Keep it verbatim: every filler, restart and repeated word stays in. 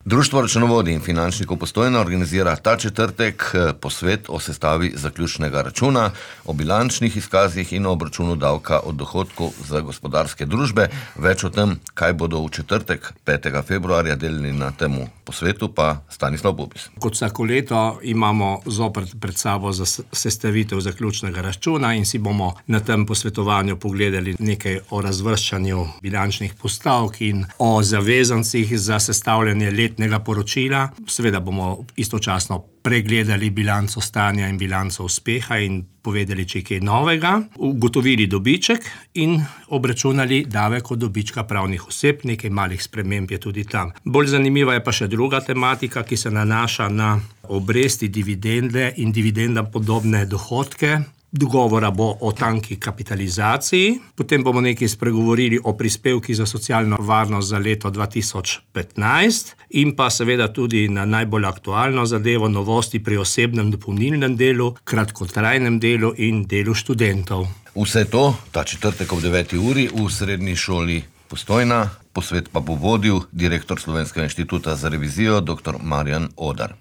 Društvo računovodij in finančnikov Postojna organizira ta četrtek posvet o sestavi zaključnega računa, o bilančnih izkazih in o obračunu davka od dohodkov za gospodarske družbe. Več o tem, kaj bodo v četrtek, petega februarja, delili na temu posvetu, pa Stanislav Bubis. Kot vsako leto imamo zopet pred sabo za sestavitev zaključnega računa in si bomo na tem posvetovanju pogledali nekaj o razvrščanju bilančnih postavk in o zavezancih za sestavljanje letnega poročila. Seveda bomo istočasno pregledali bilanco stanja in bilanco uspeha in povedali, če je kaj novega, ugotovili dobiček in obračunali davek od dobička pravnih oseb, nekaj malih sprememb je tudi tam. Bolj zanimiva je pa še druga tematika, ki se nanaša na obresti, dividende in dividendam podobne dohodke. Dogovora bo o tanki kapitalizaciji, potem bomo nekaj spregovorili o prispevki za socialno varnost za leto dva tisoč petnajst in pa seveda tudi na najbolj aktualno zadevo novosti pri osebnem dopolnilnem delu, kratkotrajnem delu in delu študentov. Vse to ta četrtek ob deveti uri v srednji šoli Postojna. Posvet pa bo vodil direktor Slovenskega inštituta za revizijo dr. Marjan Odar.